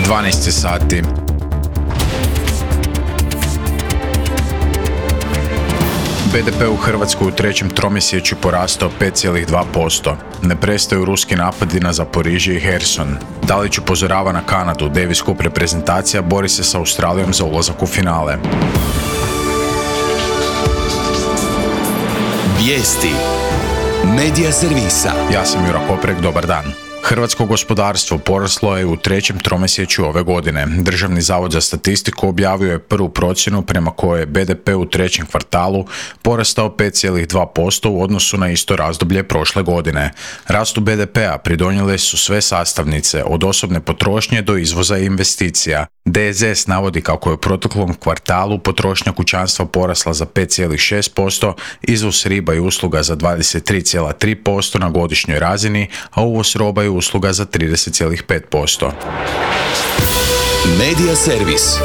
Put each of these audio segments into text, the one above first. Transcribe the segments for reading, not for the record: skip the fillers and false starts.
12 sati. BDP u Hrvatskoj u trećem tromjesečju porastao 5,2%. Ne prestaju ruski napadi na Zaporižje i Herson. Dalić upozorava na Kanadu, Davis Cup reprezentacija bori se sa Australijom za ulazak u finale. Vijesti Medija servisa. Ja sam Jura Koprek, dobar dan. Hrvatsko gospodarstvo poraslo je u trećem tromjesečju ove godine. Državni zavod za statistiku objavio je prvu procjenu prema kojoj je BDP u trećem kvartalu porastao 5,2% u odnosu na isto razdoblje prošle godine. Rastu BDP-a pridonijele su sve sastavnice, od osobne potrošnje do izvoza i investicija. DZS navodi kako je u proteklom kvartalu potrošnja kućanstva porasla za 5,6%, izvoz riba i usluga za 23,3% na godišnjoj razini, a uvoz roba i usluga za 30,5%. Medija servis.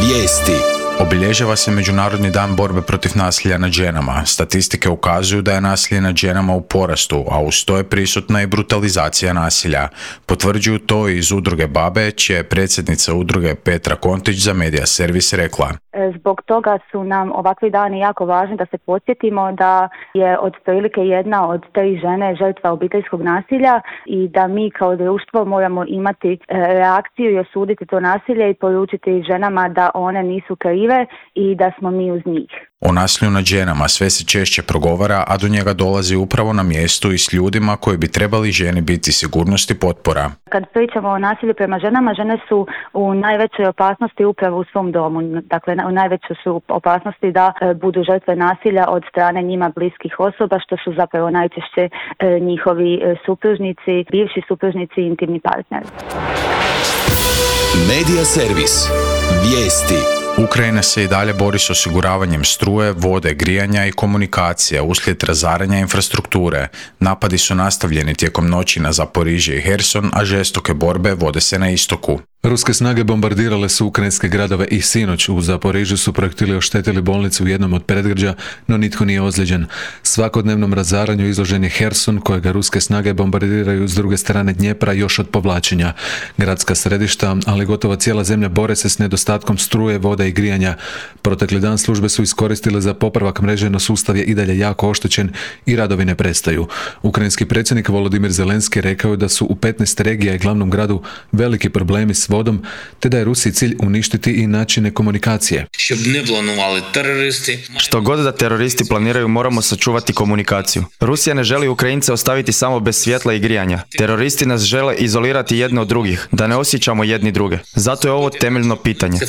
Vijesti. Obilježava se Međunarodni dan borbe protiv nasilja nad ženama. Statistike ukazuju da je nasilje nad ženama u porastu, a uz to je prisutna i brutalizacija nasilja. Potvrđuju to iz udruge BaBe, čija je predsjednica udruge Petra Kontić za Medija servis rekla. Zbog toga su nam ovakvi dani jako važni da se podsjetimo da je otprilike jedna od 3 žene žrtva obiteljskog nasilja i da mi kao društvo moramo imati reakciju i osuditi to nasilje i poručiti ženama da one nisu krive i da smo mi uz njih. O nasilju nad ženama sve se češće progovara, a do njega dolazi upravo na mjestu i s ljudima koji bi trebali ženi biti sigurnost i potpora. Kad pričamo o nasilju prema ženama, žene su u najvećoj opasnosti upravo u svom domu. Dakle, u najvećoj su opasnosti da budu žrtve nasilja od strane njima bliskih osoba, što su zapravo najčešće njihovi supružnici, bivši supružnici i intimni partneri. Medija servis. Vijesti. Ukrajina se i dalje bori s osiguravanjem struje, vode, grijanja i komunikacija uslijed razaranja infrastrukture. Napadi su nastavljeni tijekom noći na Zaporižje i Herson, a žestoke borbe vode se na istoku. Ruske snage bombardirale su ukrajinske gradove i sinoć u Zaporižju su projektili oštetili bolnicu u jednom od predgrađa, no nitko nije ozlijeđen. Svakodnevnom razaranju izložen je Herson, kojega ruske snage bombardiraju s druge strane Dnjepra još od povlačenja. Gradska središta, ali gotovo cijela zemlja bore se s nedostatkom struje, voda i grijanja. Protekli dan službe su iskoristile za popravak mreže, no sustav je i dalje jako oštećen i radovi ne prestaju. Ukrajinski predsjednik Volodimir Zelenski rekao je da su u 15 regija i glavnom gradu veliki problemi s vodom, te da je Rusiji cilj uništiti i načine komunikacije. Što god da teroristi planiraju, moramo sačuvati komunikaciju. Rusija ne želi Ukrajince ostaviti samo bez svjetla i grijanja. Teroristi nas žele izolirati jedne od drugih, da ne osjećamo jedni druge. Zato je ovo temeljno pitanje.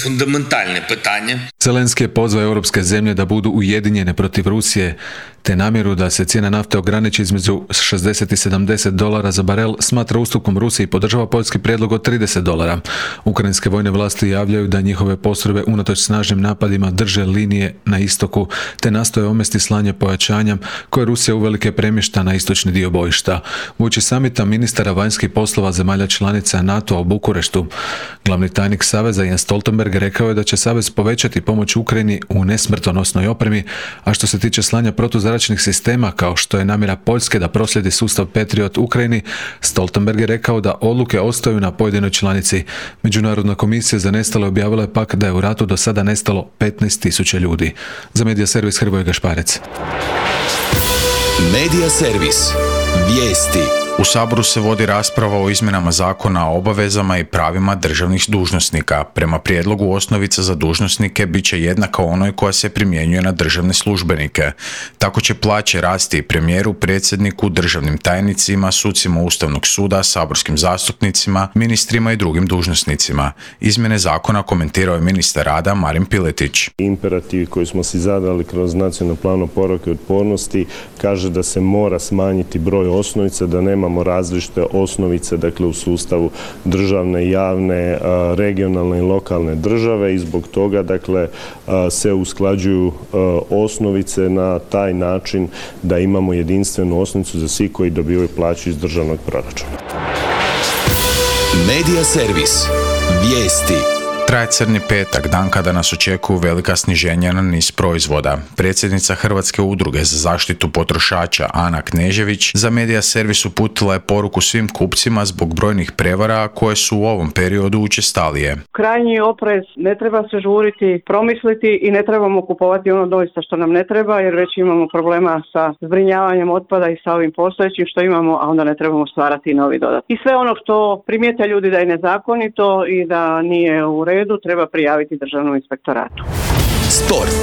Zelenski je pozvao europske zemlje da budu ujedinjene protiv Rusije, te namjeru da se cijena nafte ograniči između $60 i $70 za barel smatra ustupkom Rusiji i podržava poljski prijedlog od $30. Ukrajinske vojne vlasti javljaju da njihove postrojbe unatoč snažnim napadima drže linije na istoku, te nastoje omesti slanje pojačanja koje Rusija uvelike premješta na istočni dio bojišta. Uoči samita ministara vanjskih poslova zemalja članica NATO-a u Bukureštu, glavni tajnik Saveza Jens Stoltenberg rekao je da će Savez povećati pomoć Ukrajini u nesmrtonosnoj opremi, a što se tiče slanja protuzračnih sistema, kao što je namjera Poljske da proslijedi sustav Patriot Ukrajini, Stoltenberg je rekao da odluke ostaju na pojedinoj članici. Međunarodna komisija za nestale objavila je pak da je u ratu do sada nestalo 15.000 ljudi. Za Medija servis Hrvoje Gašparec. Medija servis. Vijesti. U Saboru se vodi rasprava o izmjenama zakona o obavezama i pravima državnih dužnosnika. Prema prijedlogu osnovica za dužnosnike bit će jednaka onoj koja se primjenjuje na državne službenike. Tako će plaće rasti premijeru, predsjedniku, državnim tajnicima, sucima Ustavnog suda, saborskim zastupnicima, ministrima i drugim dužnosnicima. Izmjene zakona komentirao je ministar rada Marin Piletić. Imperativ koji smo si zadali kroz nacionalni plan oporavka i otpornosti kaže da se mora smanjiti broj osnovica, da nema imamo različite osnovice, dakle u sustavu državne, javne, regionalne i lokalne države i zbog toga, dakle, se usklađuju osnovice na taj način da imamo jedinstvenu osnovicu za svi koji dobivaju plaću iz državnog proračuna. Medija servis. Vijesti. Traje Crni petak, dan kada nas očekuju velika sniženja na niz proizvoda. Predsjednica Hrvatske udruge za zaštitu potrošača Ana Knežević za Medija servis uputila je poruku svim kupcima zbog brojnih prevara koje su u ovom periodu učestalije. Krajnji oprez, ne treba se žuriti, promisliti i ne trebamo kupovati ono doista što nam ne treba, jer već imamo problema sa zbrinjavanjem otpada i sa ovim postojećim što imamo, a onda ne trebamo stvarati novi dodat. I sve ono što primijete ljudi da je nezakonito i da nije u redu, treba prijaviti Državnom inspektoratu. Sport.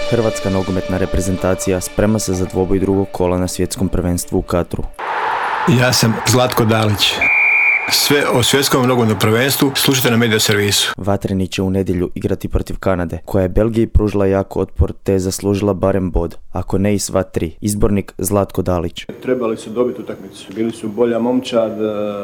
Hrvatska nogometna reprezentacija sprema se za dvoboj drugog kola na svjetskom prvenstvu u Katru. Ja sam Zlatko Dalić. Sve o svjetskom nogometnom prvenstvu slušajte na Medija servisu. Vatreni će u nedjelju igrati protiv Kanade, koja je Belgiji pružila jako otpor te je zaslužila barem bod, ako ne i sva tri. Izbornik Zlatko Dalić. Trebali su dobiti utakmicu. Bili su bolja momčad,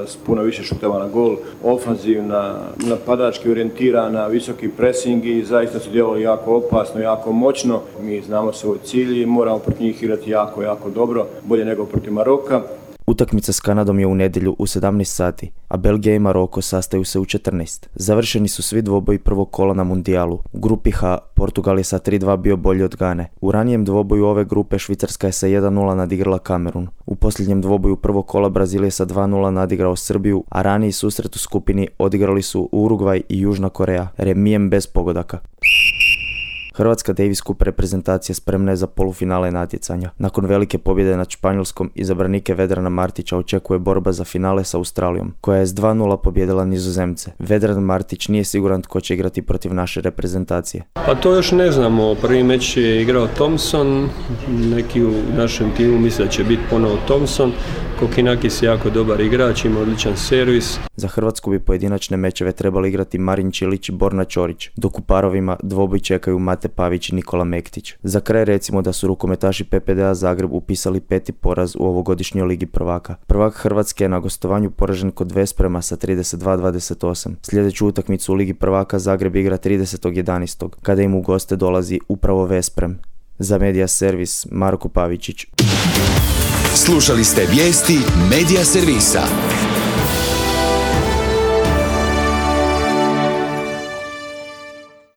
s puno više šuteva na gol, ofanzivna, napadački orijentirana, visoki pressing i zaista su djelovali jako opasno, jako moćno. Mi znamo svoj cilj i moramo protiv njih igrati jako, jako dobro, bolje nego protiv Maroka. Utakmica s Kanadom je u nedjelju u 17 sati, a Belgija i Maroko sastaju se u 14. Završeni su svi dvoboji prvog kola na mundijalu. U grupi H Portugal je sa 3-2 bio bolji od Gane. U ranijem dvoboju ove grupe Švicarska je sa 1-0 nadigrala Kamerun. U posljednjem dvoboju prvog kola Brazil je sa 2-0 nadigrao Srbiju, a raniji susret u skupini odigrali su Urugvaj i Južna Koreja, remijem bez pogodaka. Hrvatska Davis Cup reprezentacija spremna je za polufinale natjecanja. Nakon velike pobjede nad Španjolskom, izabranike Vedrana Martića očekuje borba za finale sa Australijom, koja je s 2-0 pobjedila Nizozemce. Vedran Martić nije siguran tko će igrati protiv naše reprezentacije. Pa to još ne znamo. Prvi meč je igrao Thompson, neki u našem timu misle da će biti ponovo Thompson. Kokinakis je jako dobar igrač, ima odličan servis. Za Hrvatsku bi pojedinačne mečeve trebali igrati Marin Čilić i Borna Ćorić, dok u parovima dvoboj čekaju Mate Pavić i Nikola Mektić. Za kraj recimo da su rukometaši PPD-a Zagreb upisali 5. poraz u ovogodišnjoj Ligi prvaka. Prvak Hrvatske je na gostovanju poražen kod Vesprema sa 32-28. Sljedeću utakmicu u Ligi prvaka Zagreb igra 30.11. kada im u goste dolazi upravo Vesprem. Za Medija servis Marko Pavičić. Slušali ste vijesti Medija servisa.